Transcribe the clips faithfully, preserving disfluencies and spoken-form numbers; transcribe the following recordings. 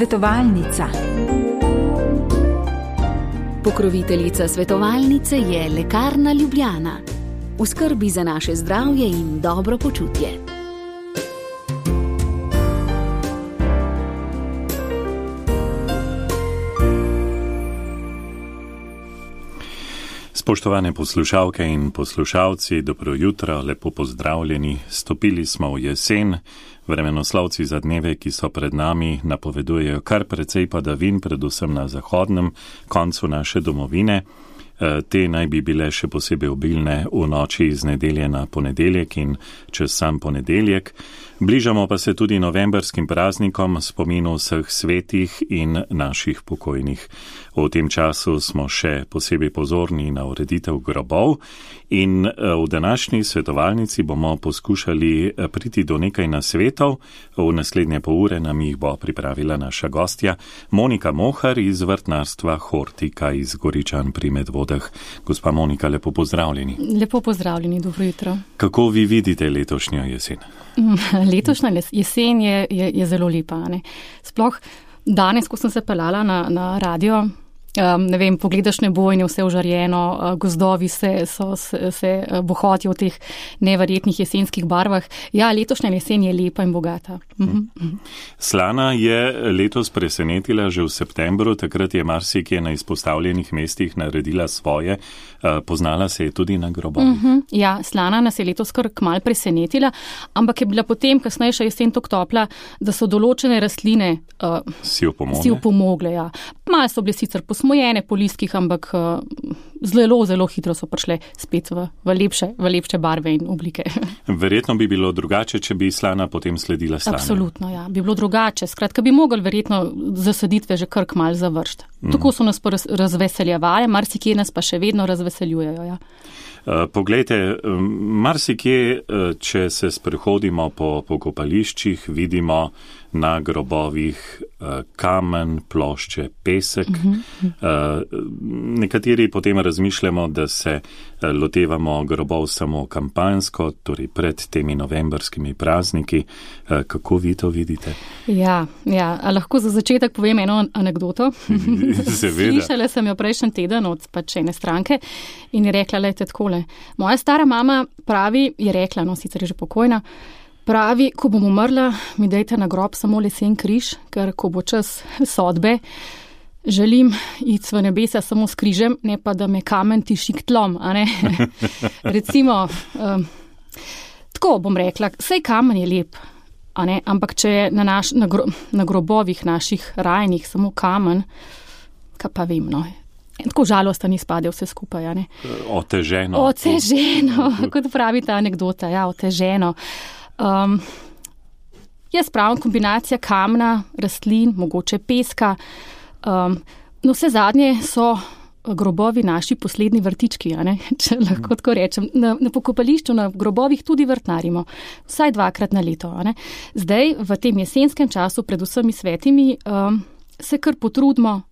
Svetovalnica. Pokroviteljica svetovalnice je Lekarna Ljubljana. V skrbi za naše zdravje in dobro počutje. Spoštovane poslušalke in poslušalci, dobro jutro, lepo pozdravljeni. Stopili smo v jesen. Vremenoslovci za dneve, ki so pred nami, napovedujejo kar precej padavin, predvsem na zahodnem koncu naše domovine. Te naj bi bile še posebej obilne v noči iz nedelje na ponedeljek in čez sam ponedeljek. Bližamo pa se tudi novembrskim praznikom, spominu vseh svetih in naših pokojnih. V tem času smo še posebej pozorni na ureditev grobov in v današnji svetovalnici bomo poskušali priti do nekaj nasvetov. V naslednje pol ure nam jih bo pripravila naša gostja Monika Mohar iz vrtnarstva Hortika iz Goričan pri Medvodah. Gospa Monika, lepo pozdravljeni. Lepo pozdravljeni, dobro jutro. Kako vi vidite letošnjo jesen? Letošnja jesen je, je, je zelo lepa. Ne? Sploh danes, ko sem se pelala na, na radio, um, ne vem, pogledaš nebo in je vse ožarjeno, gozdovi se, so, se, se bohotijo v teh neverjetnih jesenskih barvah. Ja, letošnja jesen je lepa in bogata. Mhm. Slana je letos presenetila že v septembru, takrat je marsikje na izpostavljenih mestih naredila svoje. Poznala se je tudi na grobovih. Uh-huh. Ja, Slana nas je letos kar kmalu presenetila, ampak je bila potem kasnejša jesen tako topla, da so določene rastline uh, si opomogle. Ja. Malo so bile sicer posmojene po listkih, ampak uh, zelo, zelo hitro so prišle spet v, v, lepše, v lepše barve in oblike. Verjetno bi bilo drugače, če bi Slana potem sledila Slane. Absolutno, ja. Bi bilo drugače. Skratka, bi mogli verjetno zasaditve že kar kmalu završiti. Mm. Tako so nas razveseljevali, marsikje nas pa še vedno razveseljujejo. Ja. Poglejte, marsikje, če se sprehodimo po pokopališčih, vidimo na grobovih kamen, plošče, pesek. Uh-huh. Nekateri potem razmišljamo, da se lotevamo grobov samo kampanjsko, torej pred temi novembrskimi prazniki. Kako vi to vidite? Ja, ja. A lahko za začetek povem eno anekdoto? Seveda. Slišala sem jo prejšnji teden od pač ene stranke in je rekla, lejte takole. Moja stara mama pravi, je rekla, no sicer je že pokojna, pravi, ko bom umrla, mi dajte na grob samo lesen križ, ker ko bo čas sodbe, želim iti v nebesa samo s križem, ne pa da me kamen tiši k tlom, a ne? Recimo, um, tako bom rekla, sej kamen je lep, a ne? Ampak če je na, naš, na, gro, na grobovih naših rajnih samo kamen, kaj pa vem, no. In tako žalosta ni spade vse skupaj, a ne? Oteženo. Oteženo, kot pravi ta anekdota, ja, oteženo. Um, jaz pravim kombinacija kamna, rastlin, mogoče peska. Um, no vse zadnje so grobovi naši poslednji vrtički, a ne? Če lahko tako rečem. Na, na pokopališču, na grobovih tudi vrtnarimo. Vsaj dvakrat na leto, a ne? Zdaj, v tem jesenskem času, pred vsemi svetimi, um, se kar potrudimo,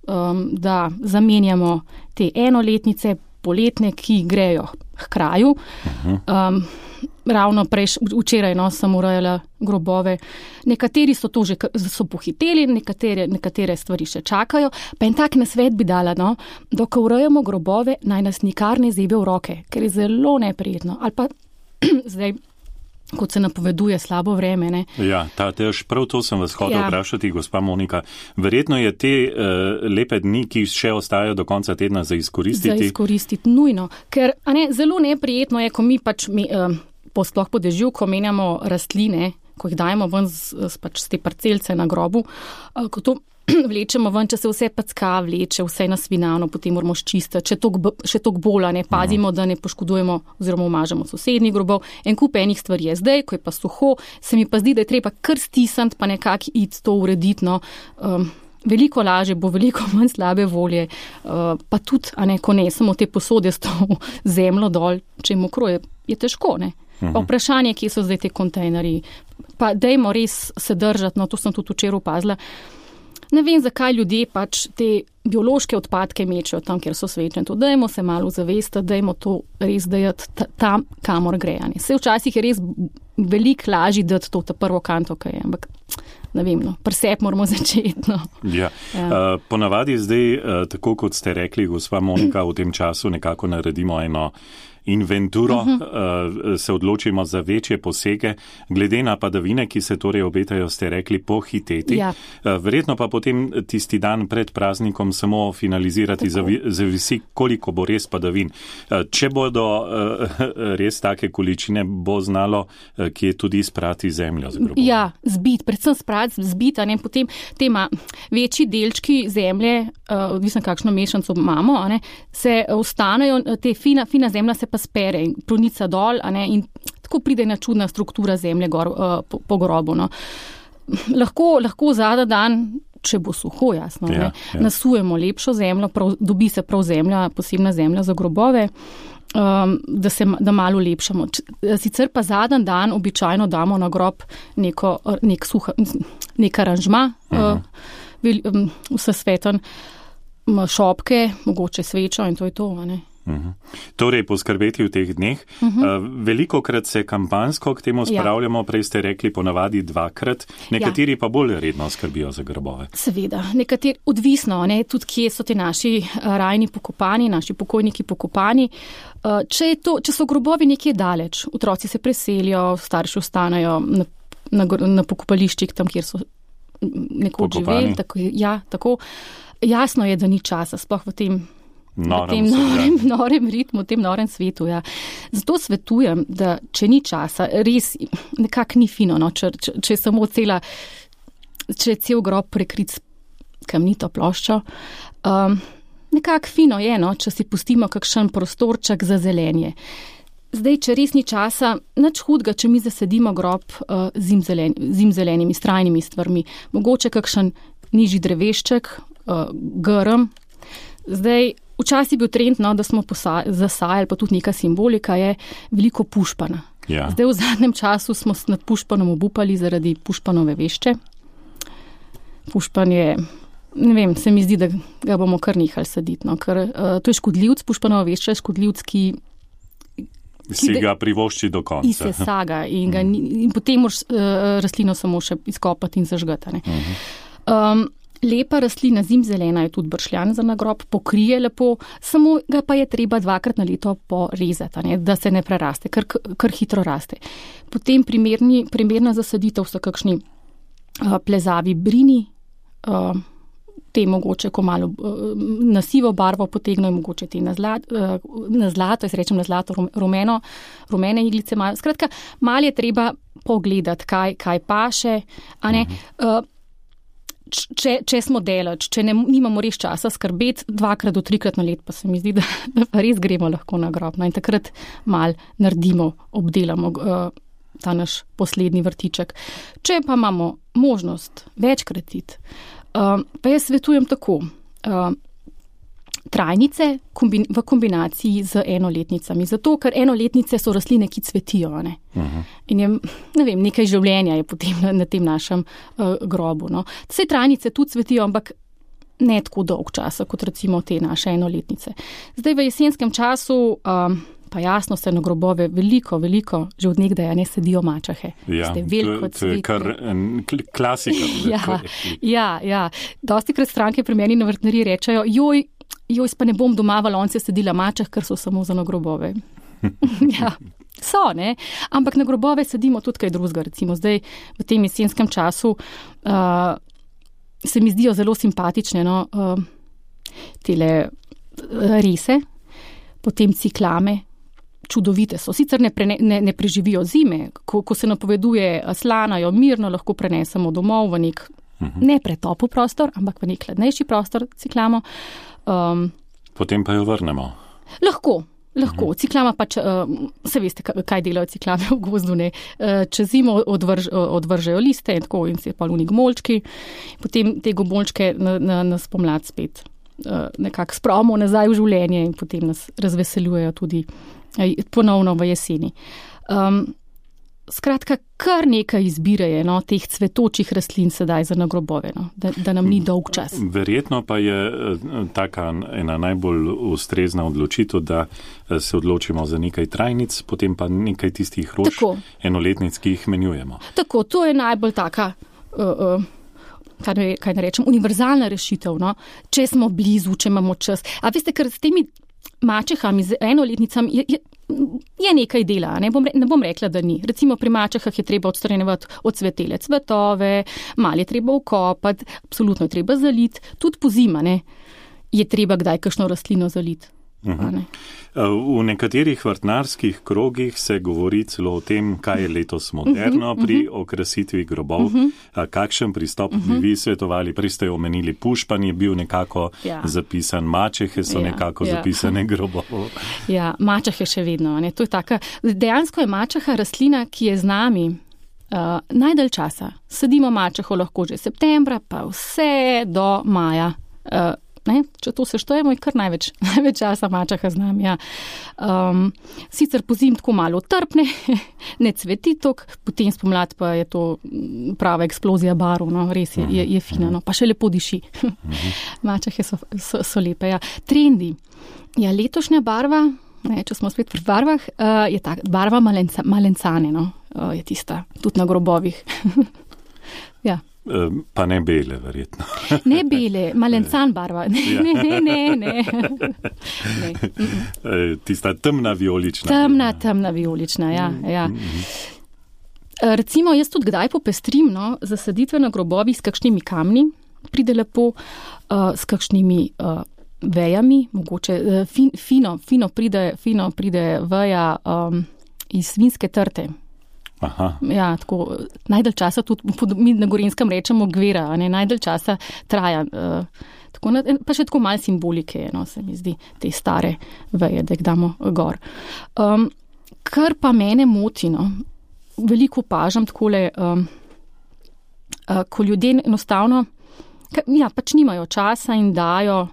um, da zamenjamo te enoletnice, poletne, ki grejo k kraju. Um, Ravno prej, včeraj no, sem urejala grobove. Nekateri so to že so pohiteli, nekatere, nekatere stvari še čakajo. Pa en tak nasvet bi dala, no, dokaj urejamo grobove, naj nas nikar ne zebe v roke, ker je zelo neprijetno. Ali pa zdaj, kot se napoveduje slabo vreme. Ne? Ja, ta, tež, prav to sem vas hotel ja. vprašati, gospa Monika. Verjetno je te uh, lepe dni, ki še ostajajo do konca tedna, za izkoristiti. Za izkoristiti, nujno. Ker a ne, zelo neprijetno je, ko mi pač mi, uh, sploh po dežju, ko menjamo rastline, ko jih dajemo ven z, z, pač z te parcelce na grobu, uh, ko to vlečemo ven, če se vse packa vleče, vse nasvinano, potem moramo ščistiti, če tok, še tok bola, ne pazimo, da ne poškodujemo oziroma umažemo sosednjih grobov. En kup enih stvari je zdaj, ko je pa suho, se mi pa zdi, da je treba kar stisniti, pa nekako iti to urediti, no. Um, veliko lažje bo, veliko manj slabe volje, uh, pa tudi, a ne, ko ne, samo te posode s to zemljo dol, če je mokro, je, je težko, ne. Pa vprašanje, kje so zdaj te kontejnerji. Pa dajmo res se držati, no to sem tudi včeraj opazila. ne vem, zakaj ljudje pač te biološke odpadke mečejo tam, kjer so svečne. To dajmo se malo zavesti, dajmo to res dajati tam, kamor grejanje. Vse včasih je res veliko lažji dati to ta prvo kanto, kaj je, ampak ne vem, no, presep moramo začeti. No. Ja. Ja. Uh, ponavadi zdaj, uh, tako kot ste rekli, gospa Monika, v tem času nekako naredimo eno inventuro, uh-huh. uh, se odločimo za večje posege, glede na padavine, ki se torej obetajo, ste rekli, pohiteti. Ja. Uh, verjetno pa potem tisti dan pred praznikom samo finalizirati, zavi, zavisi, koliko bo res padavin. Uh, če bodo uh, res take količine, bo znalo, uh, kje tudi sprati zemljo z grobom. Ja, zbit, predvsem sprati, zbit, a ne, potem tema večji delčki zemlje, uh, odvisno kakšno mešanco imamo, a ne, se ostanejo, te fina, fina zemlja se pa spere in pronica dol, a ne, in tako pride ena čudna struktura zemlje gor, uh, po, po grobu. No. Lahko, lahko zada dan, če bo suho, jasno, ja, ja. nasujemo lepšo zemljo, prav, dobi se prav zemlja, posebna zemlja za grobove, um, da se da malo lepšamo. Sicer pa zadan dan običajno damo na grob neko, nek suha, nek aranžma, uh, um, vse sveten, šopke, mogoče svečo in to je to, a ne. Uhum. Torej, poskrbeti v teh dneh. Uhum. Uh, velikokrat se kampanjsko k temu spravljamo, ja. Prej ste rekli ponavadi dvakrat, nekateri ja. Pa bolj redno skrbijo za grobove. Seveda, nekateri odvisno, ne, tudi kje so ti naši rajni pokopani, naši pokojniki pokopani. Uh, če, je to, če so grobovi nekje daleč, otroci se preselijo, starši ostanejo na, na, na pokopališčih, tam, kjer so nekoč živeli. Tako, ja, tako. Jasno je, da ni časa, sploh v tem Norem, v tem norem, norem ritmu, v tem norem svetu. Ja. Zato svetujem, da če ni časa, res nekako ni fino, no, če, če, če je samo cela, če je cel grob prekrit s kamnito ploščo. Um, nekako fino je, no, če si pustimo kakšen prostorček za zelenje. Zdaj, če res ni časa, nič hudega, če mi zasedimo grob uh, zimzelen, zimzelenimi, strajnimi stvarmi. Mogoče kakšen nižji drevešček, uh, grm. Zdaj, včasih je bil trend, no, da smo posa- zasajali, pa tudi neka simbolika je veliko pušpana. Ja. Zdaj v zadnjem času smo nad pušpanom obupali zaradi pušpanove vešče. Pušpan je, ne vem, se mi zdi, da ga bomo kar nehali saditi, no, ker uh, to je škodljivc, pušpanova vešča je škodljivc, ki si ga privošči do konca. In se saga in, ga, in potem moraš uh, rastlino samo še izkopati in zažgati. Um, lepa rastlina, zimzelena je tudi bršljan za nagrob, pokrije lepo, samo ga pa je treba dvakrat na leto porezati, ne, da se ne preraste, ker, ker hitro raste. Potem primerni, primerna zasaditev so kakšni uh, plezavi brini, uh, te mogoče, ko malo uh, na sivo barvo potegnejo, mogoče te na, zlat, uh, na zlato, jaz rečem na zlato, rumeno, rumene iglice malo. Skratka, malo je treba pogledati, kaj, kaj paše, a ne, uh, Če, če smo delač, če ne, nimamo res časa skrbeti, dvakrat do trikrat na let, pa se mi zdi, da, da pa res gremo lahko na grob. No, in takrat mal naredimo, obdelamo uh, ta naš poslednji vrtiček. Če pa imamo možnost večkrat iti, uh, pa jaz svetujem tako. Uh, trajnice kombin, v kombinaciji z enoletnicami. Zato, ker enoletnice so rastline, ki cvetijo. Ne? Uh-huh. In je, ne vem, nekaj življenja je potem na, na tem našem uh, grobu. No? Vse trajnice tudi cvetijo, ampak ne tako dolg časa, kot recimo te naše enoletnice. Zdaj v jesenskem času um, pa jasno se na grobove veliko, veliko, že od nekdaj ne sedijo mačahe. Ja, to, to je kar klasika. ja, ja, ja. Dosti krat stranke pri meni na vrtnariji rečejo, joj, joj, pa ne bom doma v lonce sedila mačah, ker so samo za na grobove. ja, so, ne? Ampak na grobove sedimo tudi kaj drugega. Recimo zdaj v tem jesenskem času uh, se mi zdijo zelo simpatične, no, uh, tele rese, potem ciklame, čudovite so. Sicer ne, pre, ne, ne preživijo zime, ko, ko se napoveduje slanajo, mirno lahko prenesemo domov v nek uh-huh. ne pretopel prostor, ampak v nek hladnejši prostor ciklamo. Um, Potem pa jo vrnemo. Lahko, lahko. Uh-huh. Ciklama pač, uh, se veste, kaj delajo ciklame v gozdu, ne. Uh, čez zimo odvrž, odvržejo liste in tako in se pa luni gmolčki. Potem te gomolčke na, na, na spomlad spet uh, nekako spravimo nazaj v življenje in potem nas razveseljujejo tudi uh, ponovno v jeseni. Um, skratka, kar nekaj izbire je, no, teh cvetočih rastlin sedaj za na grobove, no, da, da nam ni dolg čas. Verjetno pa je taka ena najbolj ustrezna odločitev, da se odločimo za nekaj trajnic, potem pa nekaj tistih rož Tako. enoletnic, ki jih menjujemo. Tako, to je najbolj taka, uh, uh, kaj, ne, kaj ne rečem, univerzalna rešitev, no, če smo blizu, če imamo čas. A veste, ker s temi mačehami, z enoletnicami je, je, je nekaj dela, ne bom, ne bom rekla, da ni. Recimo pri mačehah je treba odstranjevati odsvetele cvetove, malo je treba ukopati, absolutno je treba zaliti, tudi po zima, ne, je treba kdaj kakšno rastlino zaliti. Uh-huh. V nekaterih vrtnarskih krogih se govori celo o tem, kaj je letos moderno uh-huh, pri okrasitvi grobov. Uh-huh. Kakšen pristop uh-huh. bi vi svetovali? Prej ste omenili pušpan, je bil nekako ja. zapisan, mačehe so ja, nekako ja. zapisane grobov. Ja, mačehe še vedno. Ne? To je taka, dejansko je mačeha rastlina, ki je z nami uh, najdalj časa. Sadimo mačeho lahko že septembra, pa vse do maja. Uh, Ne, če to seštejemo, je kar največ, največ časa mačeha z nami. Ja. Um, sicer pozim tako malo trpne, ne cveti tok, potem spomlad pa je to prava eksplozija barv, no, res je, je, je fina, no, pa še lepo diši. Mačehe so, so, so lepe. Ja. Trendi. Ja, letošnja barva, ne, če smo spet pri barvah, uh, je tak, barva malenca, malencane, no, uh, je tista, tudi na grobovih. Ja. Pa ne bele, verjetno. Ne bele, malencan barva. Ne, ja. ne, ne, ne. ne. Tista temna vijolična. Temna, temna vijolična, ja. ja. Recimo, jaz tudi kdaj popestrim, no, zasaditve na grobovih s kakšnimi kamni, pride lepo, uh, s kakšnimi uh, vejami, mogoče uh, fin, fino, fino, pride, fino pride veja um, iz svinjske trte. Aha. Ja, tako, najdalj časa tudi, mi na Gorenjskem rečemo gvera, ne, najdalj časa traja, uh, tako, pa še tako malo simbolike, no, se mi zdi, te stare veje, da jih damo gor. Um, kar pa mene moti, no, veliko opažam takole, um, uh, ko ljudje enostavno, ka, ja, pač nimajo časa in dajo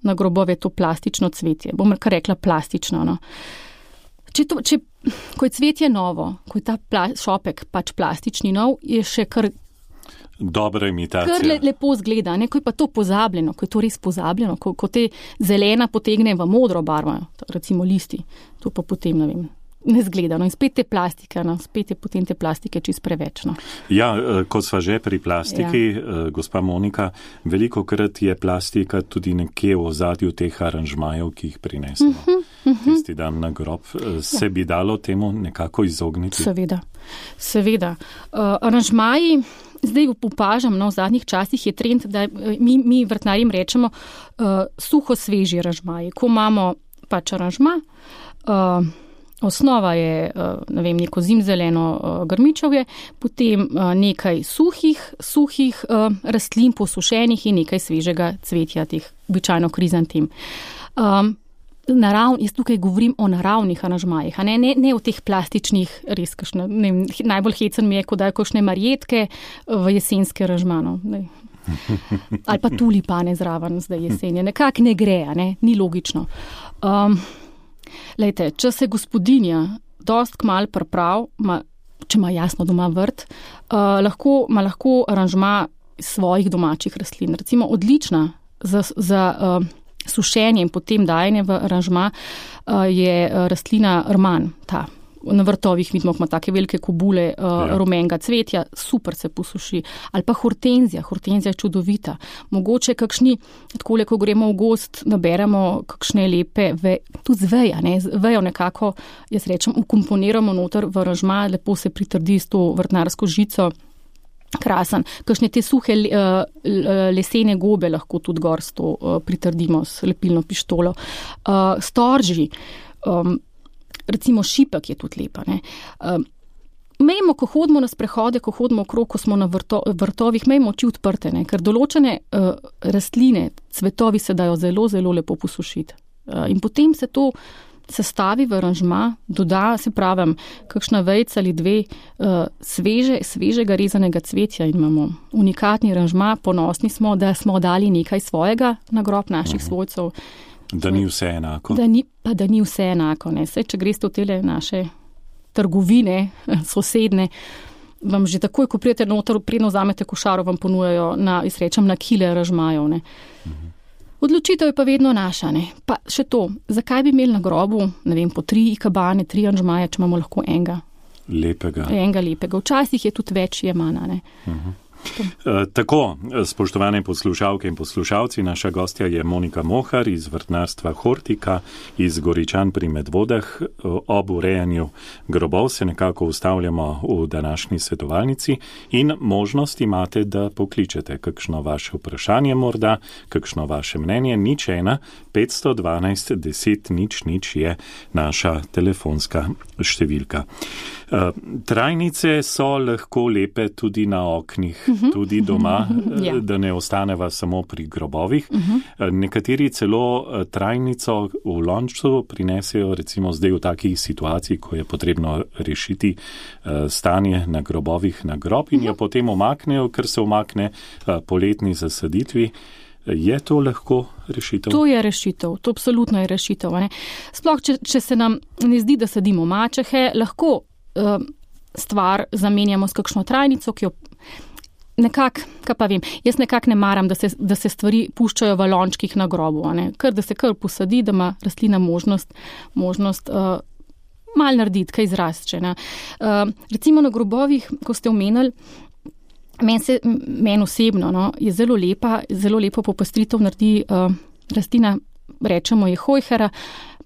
na grobove to plastično cvetje, bom kar rekla plastično, no. Če to, če, ko je cvetje novo, ko je ta pla, šopek pač plastični nov, je še kar dobra imitacija. Kar le, lepo zgleda, ne, ko je pa to pozabljeno, ko je to res pozabljeno, ko, ko te zelena potegne v modro barvo, recimo listi, to pa potem, ne vem, ne zgleda. No, in spet te plastike, no, spet je potem te plastike čist preveč. No. Ja, ko sva že pri plastiki, ja. Gospa Monika, veliko krat je plastika tudi nekje v ozadju teh aranžmajev, ki jih prinesemo. Uh-huh, uh-huh. Tisti dan na grob. Se ja. bi dalo temu nekako izogniti? Seveda, seveda. Uh, aranžmaji, zdaj upažam, no, v zadnjih časih je trend, da mi, mi vrtnarjem rečemo uh, suho sveži aranžmaji. Ko imamo pač aranžma, uh, osnova je, ne vem, neko zimzeleno grmičevje, potem nekaj suhih, suhih rastlin posušenih in nekaj svežega cvetja, teh običajno krizantim. Um, narav, jaz tukaj govorim o naravnih aranžmajih, a ne, ne, ne o teh plastičnih, res kakšne, ne vem, najbolj hecen mi je, ko dajo kakšne marjetke v jesenske aranžmano. Ali pa tulipane zraven zdaj jesenje. Nekak ne gre, a ne, ni logično. Um, Lejte, če se gospodinja dost kmal priprav, ma, če ima jasno doma vrt, uh, lahko, ma lahko aranžma svojih domačih rastlin. Recimo odlična za, za uh, sušenje in potem dajanje v aranžma uh, je rastlina rman, ta. Na vrtovih vidimo, ima take velike kobule uh, ja. rumenega cvetja, super se posuši. Ali pa hortenzija, hortenzija je čudovita. Mogoče kakšni, takole, ko gremo v gost, naberemo kakšne lepe, ve, tudi z veja, ne, z vejo nekako, jaz rečem, ukomponiramo noter v aranžma, lepo se pritrdi s to vrtnarsko žico, krasen. Kakšne te suhe uh, lesene gobe lahko tudi gor s to uh, pritrdimo s lepilno pištolo. Uh, storži, um, recimo šipek je tudi lepa. Ne. Um, mejmo, ko hodimo na sprehode, ko hodimo okrog, ko smo na vrto, vrtovih, mejmo oči odprte, ne, ker določene uh, rastline, cvetovi se dajo zelo, zelo lepo posušiti. Uh, in potem se to sestavi v aranžma, doda, se pravim, kakšna vejca ali dve uh, sveže, svežega rezanega cvetja in imamo unikatni aranžma, ponosni smo, da smo dali nekaj svojega na grob naših uh-huh. svojcev. Da ni vse enako. Da ni, pa da ni vse enako. Ne. Saj, če greste v tele naše trgovine, sosedne, vam že takoj, ko prijete noter, predno vzamete košaro, vam ponujajo na, izrečem, na kile ražmajev, ne. Mhm. Odločitev je pa vedno naša, ne. Pa še to, zakaj bi imeli na grobu, ne vem, po tri ikabane, tri anžmaje, če imamo lahko enega. Lepega. Enega lepega. Včasih je tudi več je mana, ne. Mhm. Tako, spoštovane poslušalke in poslušalci, naša gostja je Monika Mohar iz vrtnarstva Hortika iz Goričan pri Medvodah. Ob urejanju grobov se nekako ustavljamo v današnji svetovalnici in možnost imate, da pokličete kakšno vaše vprašanje morda, kakšno vaše mnenje. Nič ena, petsto dvanajst, deset, nič, nič je naša telefonska številka. Trajnice so lahko lepe tudi na oknih, uh-huh. tudi doma, uh-huh. ja. da ne ostaneva samo pri grobovih. Uh-huh. Nekateri celo trajnico v lončcu prinesejo, recimo zdaj v takih situaciji, ko je potrebno rešiti stanje na grobovih na grob in uh-huh. jo potem omaknejo, ker se omakne poletni zasaditvi. Je to lahko rešitev? To je rešitev, to absolutno je rešitev. Ne? Sploh, če, če se nam ne zdi, da sadimo mačehe, lahko uh, stvar zamenjamo s kakšno trajnico, ki jo nekako, kaj pa vem, jaz nekako ne maram, da se, da se stvari puščajo v lončkih na grobu, ne? Kar da se kar posadi, da ima rastlina možnost, možnost uh, mal narediti, kaj izrastče. Uh, recimo na grobovih, ko ste omenili, Meni se, meni osebno, no, je zelo lepa, zelo lepo popestritev naredi uh, rastlina, rečemo je hojhera,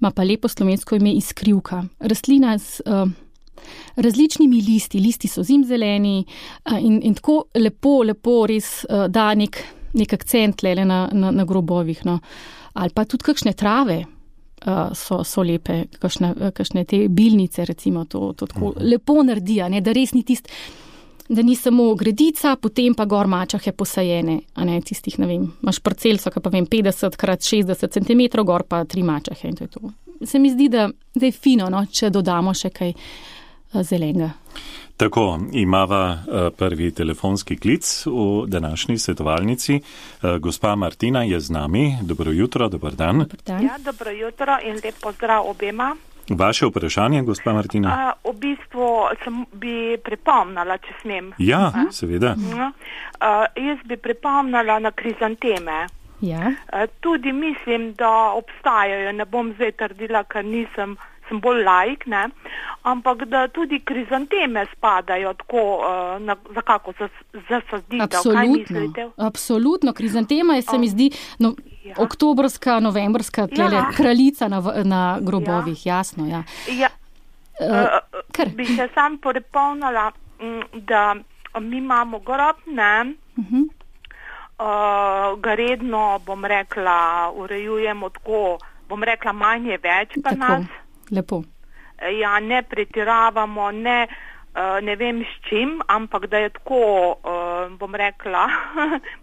ima pa lepo slovensko ime iskrivka. Rastlina s uh, različnimi listi, listi so zimzeleni uh, in, in tako lepo, lepo res uh, da nek, nek akcent lele na, na, na grobovih. No. Ali pa tudi kakšne trave uh, so, so lepe, kakšne, kakšne te bilnice, recimo, to, to tako uh-huh. lepo naredi, ne, da res ni tist, da ni samo gredica, potem pa gor mačahe posajene, a ne tistih, ne vem, imaš parcelso, ki pa vem, petdeset krat šestdeset centimetrov, gor pa tri mačahe in to je to. Se mi zdi, da, da je fino, no, če dodamo še kaj uh, zelenega. Tako, imava uh, prvi telefonski klic v današnji svetovalnici. Uh, gospa Martina je z nami. Dobro jutro, dober dan. Dobar dan. Ja, dobro jutro in lep pozdrav obema. Vaše vprašanje, gospa Martina? A, v bistvu sem bi pripomnila, če smem. Ja, A? seveda. A, jaz bi pripomnila na krizanteme. Ja. A, tudi mislim, da obstajajo, ne bom zdaj trdila, ker nisem, sem bolj laik, ne, ampak da tudi krizanteme spadajo tako uh, na, za kako zasaditev. Absolutno, absolutno. Krizantema je, se mi zdi, no, ja. oktobrska, novembrska tlele, ja. kraljica na, na grobovih, ja. jasno. Ja. Ja. Uh, bi se sam pripomnila, da mi imamo grob, ne, uh-huh. uh, ga redno, bom rekla, urejujemo tako, bom rekla, manje več pa tako. nas. Lepo. Ja, ne pretiravamo, ne, uh, ne vem s čim, ampak da je tako, uh, bom rekla,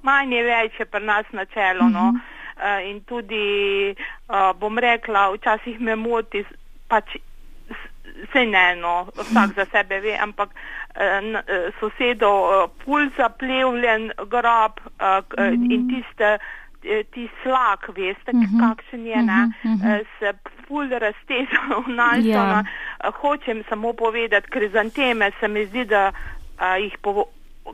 manje več je pri nas načelo, no. Uh, in tudi, uh, bom rekla, včasih me moti, pač se ne, no, vsak za sebe ve, ampak uh, sosedov uh, pul zaplevljen grob uh, mm. in tiste, ti slak, veste, uh-huh. kakšen je, ne, uh-huh. se ful razteza v našo, yeah. hočem samo povedati, krizanteme se mi zdi, da a, jih po,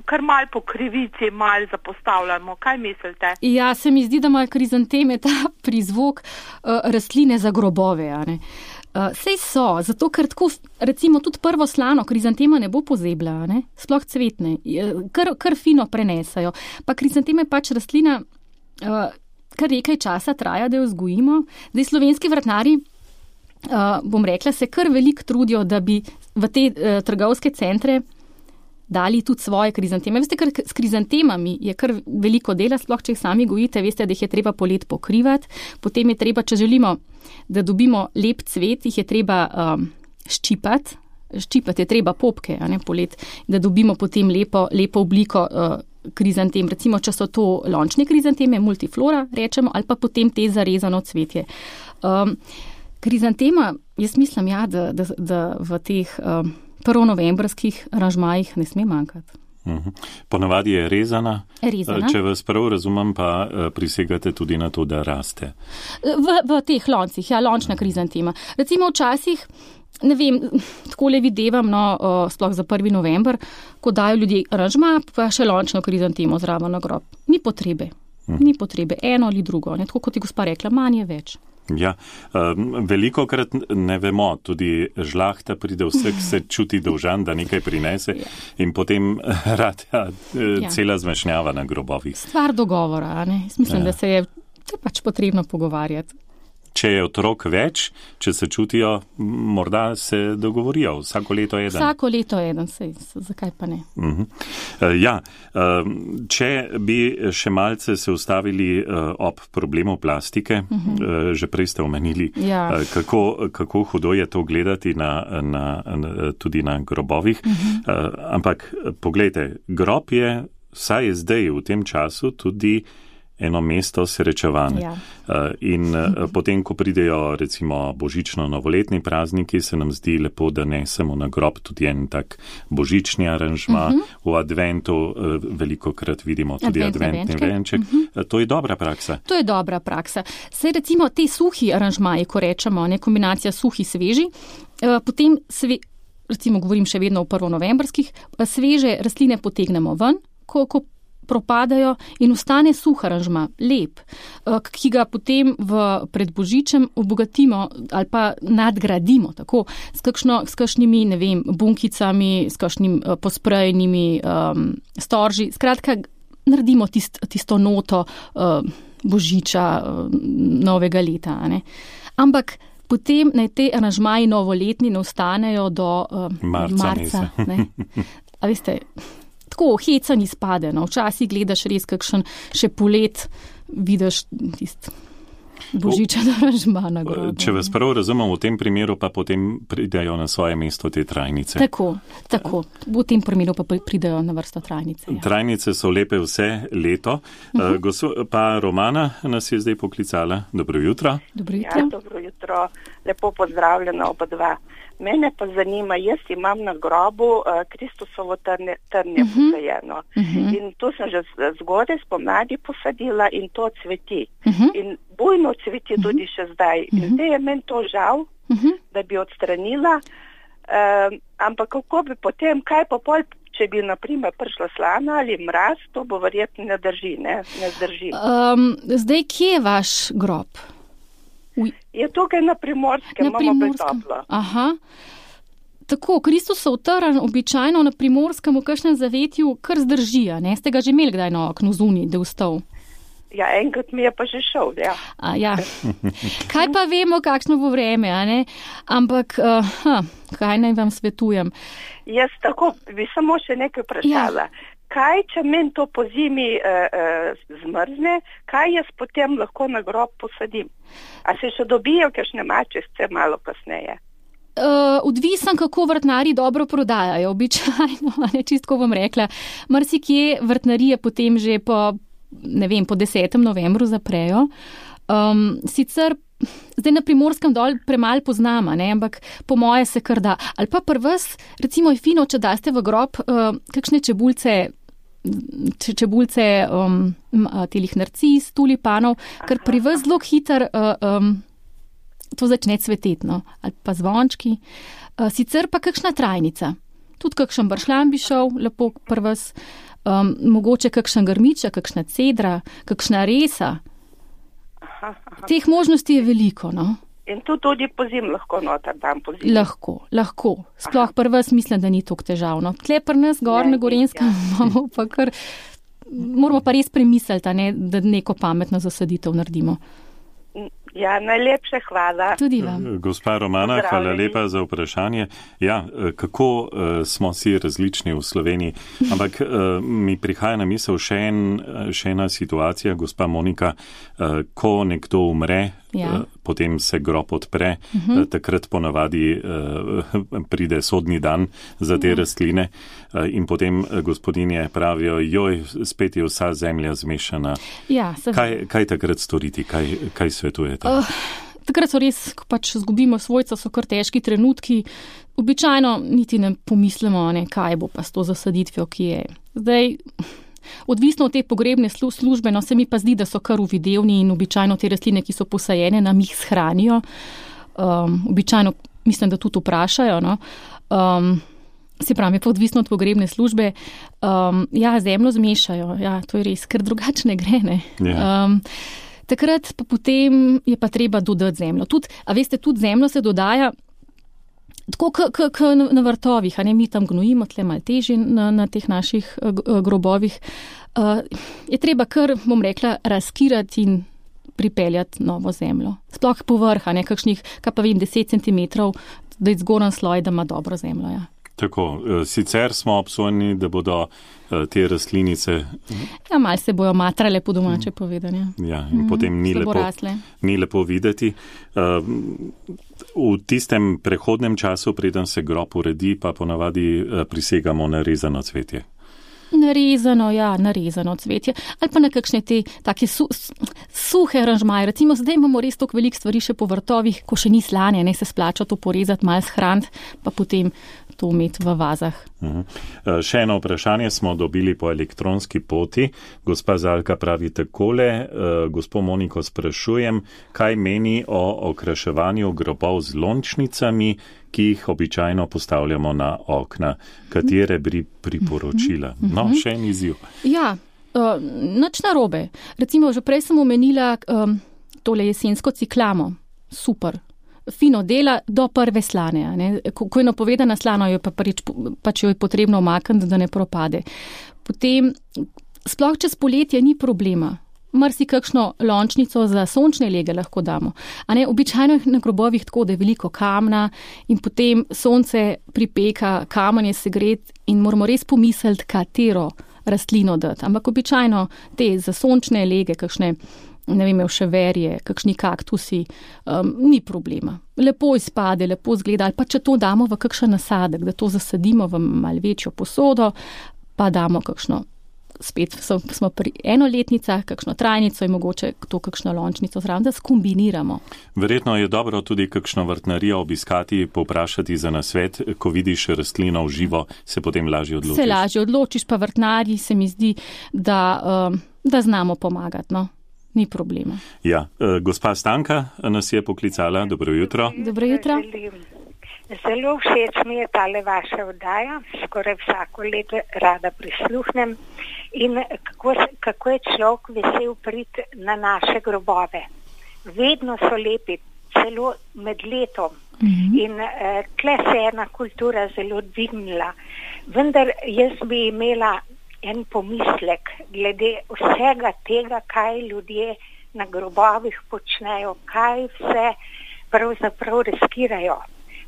kar mal po krivici mal zapostavljamo. Kaj mislite? Ja, se mi zdi, da imajo krizanteme ta prizvok uh, rastline za grobove, a ne. Uh, sej so, zato ker tako, recimo, tudi prvo slano krizantema ne bo pozebla, ne, sploh cvetne, kar, kar fino prenesajo. Pa krizanteme pač rastlina Uh, kar nekaj časa traja, da jo vzgojimo. Zdaj slovenski vrtnari, uh, bom rekla, se kar veliko trudijo, da bi v te uh, trgovske centre dali tudi svoje krizanteme. Veste, ker s krizantemami je kar veliko dela, sploh če jih sami gojite, veste, da jih je treba polet pokrivati, potem je treba, če želimo, da dobimo lep cvet, jih je treba um, ščipati, ščipati je treba popke, a ne polet, da dobimo potem lepo, lepo obliko uh, krizantem, recimo, če so to lončne krizanteme, multiflora, rečemo, ali pa potem te zarezano cvetje. Um, krizantema, jaz mislim, ja, da, da, da v teh um, prvonovembrskih aranžmajih ne sme manjkati. Ponavadi je rezana, rezana. Če vas prav razumem, pa prisegate tudi na to, da raste. V, v teh loncih, ja, lončna krizantema. Recimo včasih, ne vem, takole videvam, no, sploh za prvi november, ko dajo ljudje aranžma, pa še lončno krizantemo zraven na grob. Ni potrebe, ni potrebe, eno ali drugo, ne, tako kot je gospa rekla, manj je več. Ja, veliko krat ne vemo, tudi žlahta pride, vsek se čuti dolžan, da nekaj prinese in potem rad ja, cela zmešnjava na grobovih. Stvar dogovora, ne? Mislim, ja. Da se je pač potrebno pogovarjati. Če je otrok več, če se čutijo, morda se dogovorijo, vsako leto eden. Vsako leto eden, sej, zakaj pa ne? Uh-huh. Ja, če bi še malce se ustavili ob problemu plastike, uh-huh. že prej ste omenili, ja. kako, kako hudo je to gledati na, na, tudi na grobovih, uh-huh. ampak poglejte, grob je, vsaj zdaj v tem času, tudi eno mesto srečevanja. Ja. In potem, ko pridejo recimo božično-novoletni prazniki, se nam zdi lepo, da nesemo na grob tudi en tak božični aranžma. Uh-huh. V adventu veliko krat vidimo tudi Advent, adventni venček. Uh-huh. To je dobra praksa. To je dobra praksa. Saj recimo te suhi aranžmaji, ko rečemo, ne, kombinacija suhi sveži, potem sve, recimo govorim še vedno o prvonovembrskih, sveže rastline potegnemo ven, ko, ko propadajo in ostane suh aranžma, lep, ki ga potem v predbožičem obogatimo ali pa nadgradimo, tako, s, kakšno, s kakšnimi, ne vem, bunkicami, s kakšnim posprejenimi um, storži. Skratka, naredimo tist, tisto noto uh, božiča uh, novega leta. Ne? Ampak potem naj te aranžmaji novoletni ne ostanejo do uh, marca. marca ne? A veste, tako hecan izpade, no. Včasih gledaš res kakšen še polet, vidiš tist božičen aranžma na grobu. Če vas prav razumem, v tem primeru pa potem pridejo na svoje mesto te trajnice. Tako, tako. V tem primeru pa pridejo na vrsto trajnice. Ja. Trajnice so lepe vse leto. Uh-huh. Gospa pa Romana nas je zdaj poklicala. Dobro jutro. Dobro jutro. Ja, dobro jutro. Lepo pozdravljena oba dva. Mene pa zanima, jaz imam na grobu uh, Kristusovo trnje, trnje uh-huh. posajeno. Uh-huh. In to sem že zgodaj spomladi posadila in to cveti. Uh-huh. In bujno cveti uh-huh. tudi še zdaj. Uh-huh. In zdaj je meni to žal, uh-huh. da bi odstranila. Uh, ampak kako bi potem, kaj pa pol, če bi naprimer prišla slana ali mraz, to bo verjetno ne drži, ne, ne zdrži. Um, zdaj, kje je vaš grob? Uj. Je tukaj na Primorskem, na Primorskem. Aha. Tako, Kristusov trn običajno na Primorskem v kakšnem zavetju kar zdržija, ne? Ste ga že imeli kdaj na oknu zunaj, da je vstal? Ja, enkrat mi je pa že šel, ja. A, ja. Kaj pa vemo, kakšno bo vreme, a ne? Ampak, uh, ha, kaj naj vam svetujem? Jaz tako bi samo še nekaj vprašala. Ja. Kaj, če meni to po zimi uh, uh, zmrzne, kaj jaz potem lahko na grob posadim? A se še dobijo kakšne mačice malo kasneje? Uh, odvisen, kako vrtnari dobro prodajajo, običajno, ne, čistko bom rekla. Marsikje vrtnarije potem že po, ne vem, po desetem novembru zaprejo. Um, sicer zdaj na Primorskem dol premalo poznama, ne, ampak po moje se kar da. Ali pa prvs, recimo je fino, če daste v grob uh, kakšne čebulce, če, čebulce um, telih narcis, tulipanov, ker pri vas zelo hiter uh, um, to začne cveteti, no, ali pa zvončki. Uh, sicer pa kakšna trajnica. Tudi kakšen bršljan bi šel, lepo prvs, um, mogoče kakšen grmiča, kakšna cedra, kakšna resa. Aha, aha. Teh možnosti je veliko, no. In tu tudi po zim lahko noter dam po zim? Lahko, lahko. Sploh pri vas mislim, da ni toliko težavno. Tle pri nas gor na Gorenskem imamo pa kar, moramo pa res premisliti, ne, da neko pametno zasaditev naredimo. Ja, najlepše hvala. Tudi vam. Gospa Romana, hvala lepa za vprašanje. Ja, kako uh, smo si različni v Sloveniji, ampak uh, mi prihaja na misel še, en, še ena situacija, gospa Monika, uh, ko nekdo umre, ja. uh, potem se grob odpre, uh-huh. uh, takrat ponavadi uh, pride sodni dan za te uh-huh. rastline uh, in potem uh, gospodinje pravijo, joj, spet je vsa zemlja zmešana. Ja, kaj, kaj takrat storiti, kaj, kaj svetujete? Uh, takrat so res, ko pač zgubimo svojca, so kar težki trenutki. Običajno niti ne pomislimo, ne, kaj bo pa s to zasaditvijo, ki je. Zdaj, odvisno od te pogrebne službe, no se mi pa zdi, da so kar uvidevni in običajno te rastline, ki so posajene, nam jih shranijo. Um, običajno mislim, da tudi vprašajo, no. Um, se pravi, pa odvisno od pogrebne službe. Um, ja, zemljo zmešajo, ja, to je res, ker drugače ne gre, ne. Yeah. Um, takrat pa potem je pa treba dodati zemljo. Tud, a veste, tudi zemljo se dodaja tako kot na vrtovih, a ne, mi tam gnojimo, tle malo težje na, na teh naših grobovih. Uh, je treba kar, bom rekla, razkirati in pripeljati novo zemljo. Sploh povrha, ne, kakšnih, kaj pa vem, deset centimetrov, da je zgoren sloj, da ima dobro zemljo, ja. Tako, sicer smo obsojeni, da bodo te rastlinice... Ja, malo se bojo matrale po domače povedanje. Ja, in mm, potem ni lepo, ni lepo videti. V tistem prehodnem času, preden se grob uredi, pa ponavadi prisegamo na rezano cvetje. Narezano, ja, narezano cvetje. Ali pa na kakšne te take su, suhe aranžmaje. Recimo, zdaj imamo res toliko veliko stvari še po vrtovih, ko še ni slanje, ne se splača to porezati, malo shraniti, pa potem to imeti v vazah. Uh-huh. Še eno vprašanje smo dobili po elektronski poti. Gospa Zalka pravi takole, uh, gospo Moniko sprašujem, kaj meni o okraševanju grobov z lončnicami, ki jih običajno postavljamo na okna, katere bi priporočila. No, še en izziv. Ja, uh, nič narobe. Recimo, že prej sem omenila um, tole jesensko ciklamo. Super. Fino dela do prve slane. Ne? Ko, ko je napovedana slano, jo pa pač, pač jo je potrebno omakniti, da ne propade. Potem, sploh čez poletje ni problema. Mrsi kakšno lončnico za sončne lege lahko damo. A ne, običajno je na grobovih tako, da je veliko kamna in potem sonce pripeka, kamen je segret in moramo res pomisliti, katero rastlino dati. Ampak običajno te za sončne lege, kakšne, ne vem, vševerje, kakšni kaktusi, um, ni problema. Lepo izpade, lepo zgleda, ali pa če to damo v kakšen nasadek, da to zasadimo v malo večjo posodo, pa damo kakšno, spet smo pri enoletnicah, kakšno trajnico in mogoče to kakšno lončnico zraven, da skombiniramo. Verjetno je dobro tudi kakšno vrtnarijo obiskati, povprašati za nasvet, ko vidiš rastlino v živo, se potem lažje odločiš. Se lažje odločiš, pa vrtnarji se mi zdi, da, um, da znamo pomagati, no. Ni problema. Ja, gospa Stanka nas je poklicala. Dobro jutro. Dobro jutro. Zelo všeč mi je tale vaša oddaja, skoraj vsako leto rada prisluhnem in kako, kako je človek vesel priti na naše grobove. Vedno so lepi, celo med letom. Mm-hmm. In eh, tle se je ena kultura zelo dvignila. Vendar jaz bi imela en pomislek glede vsega tega, kaj ljudje na grobovih počnejo, kaj vse pravzaprav riskirajo.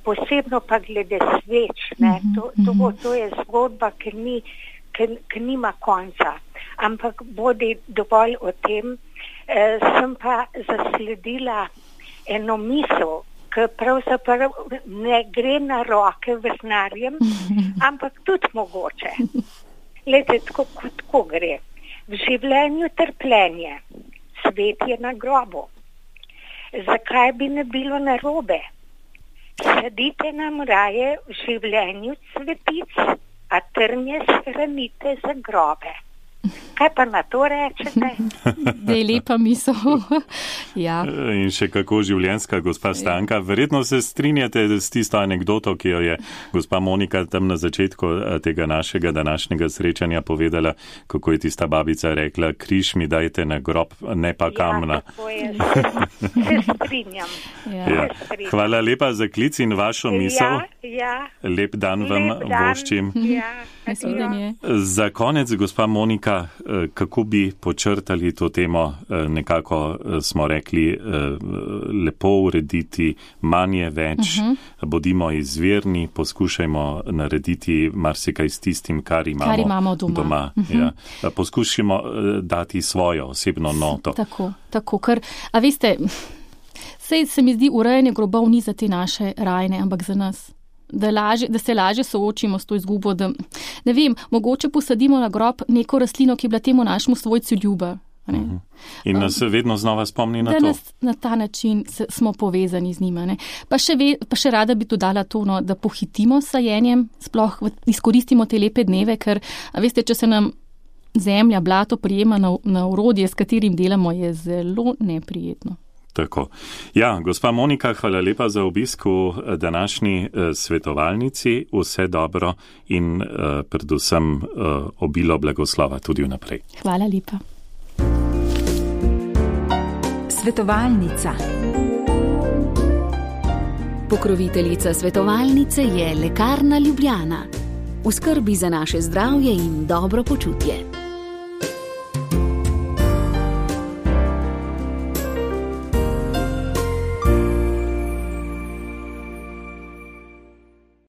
Posebno pa glede sveč, ne? To, to, to je zgodba, ki, ni, ki, ki nima konca. Ampak bodi dovolj o tem, eh, sem pa zasledila eno misel, ki pravzaprav ne gre na roke vrtnarjem, ampak tudi mogoče. Lete, tako, tako gre. V življenju trpljenje, svet je na grobu. Zakaj bi ne bilo narobe? Sadite nam raje v življenju cvetic, a trnje shranite za grobe. Kaj pa na to rečete? Da je lepa misel. Ja. In še kako življenjska, gospa Stanka. Verjetno se strinjate s tisto anekdoto, ki jo je gospa Monika tam na začetku tega našega današnjega srečanja povedala, kako je tista babica rekla, križ mi dajte na grob, ne pa kamna. Ja, tako je. Se strinjam. Ja. Ja. Se strinjam. Hvala lepa za klic in vašo misel. Ja, ja. Lep dan vam Lep dan. voščim. Ja. Za konec, gospa Monika, kako bi počrtali to temo, nekako smo rekli, lepo urediti, manje več, uh-huh. bodimo izvirni, poskušajmo narediti marsikaj s tistim, kar imamo, kar imamo doma. doma uh-huh. ja. Poskušajmo dati svojo osebno noto. Tako, tako, ker, a veste, sej se mi zdi, urejanje grobov ni za te naše rajne, ampak za nas. Da, laže, da se lažje soočimo s to izgubo, da, ne vem, mogoče posadimo na grob neko rastlino, ki je bila temu našemu svojcu ljuba. Uh-huh. In nas um, vedno znova spomni na da to. Da nas na ta način se, smo povezani z njima. Ne? Pa, še ve, pa še rada bi dodala to, no, da pohitimo s sajenjem, sploh izkoristimo te lepe dneve, ker, a veste, če se nam zemlja, blato prijema na, na orodje, s katerim delamo, je zelo neprijetno. Tako. Ja, gospa Monika, hvala lepa za obisk v današnji eh, svetovalnici. Vse dobro in eh, predvsem eh, obilo blagoslova tudi vnaprej. Hvala lepa. Svetovalnica. Pokroviteljica svetovalnice je Lekarna Ljubljana. V skrbi za naše zdravje in dobro počutje.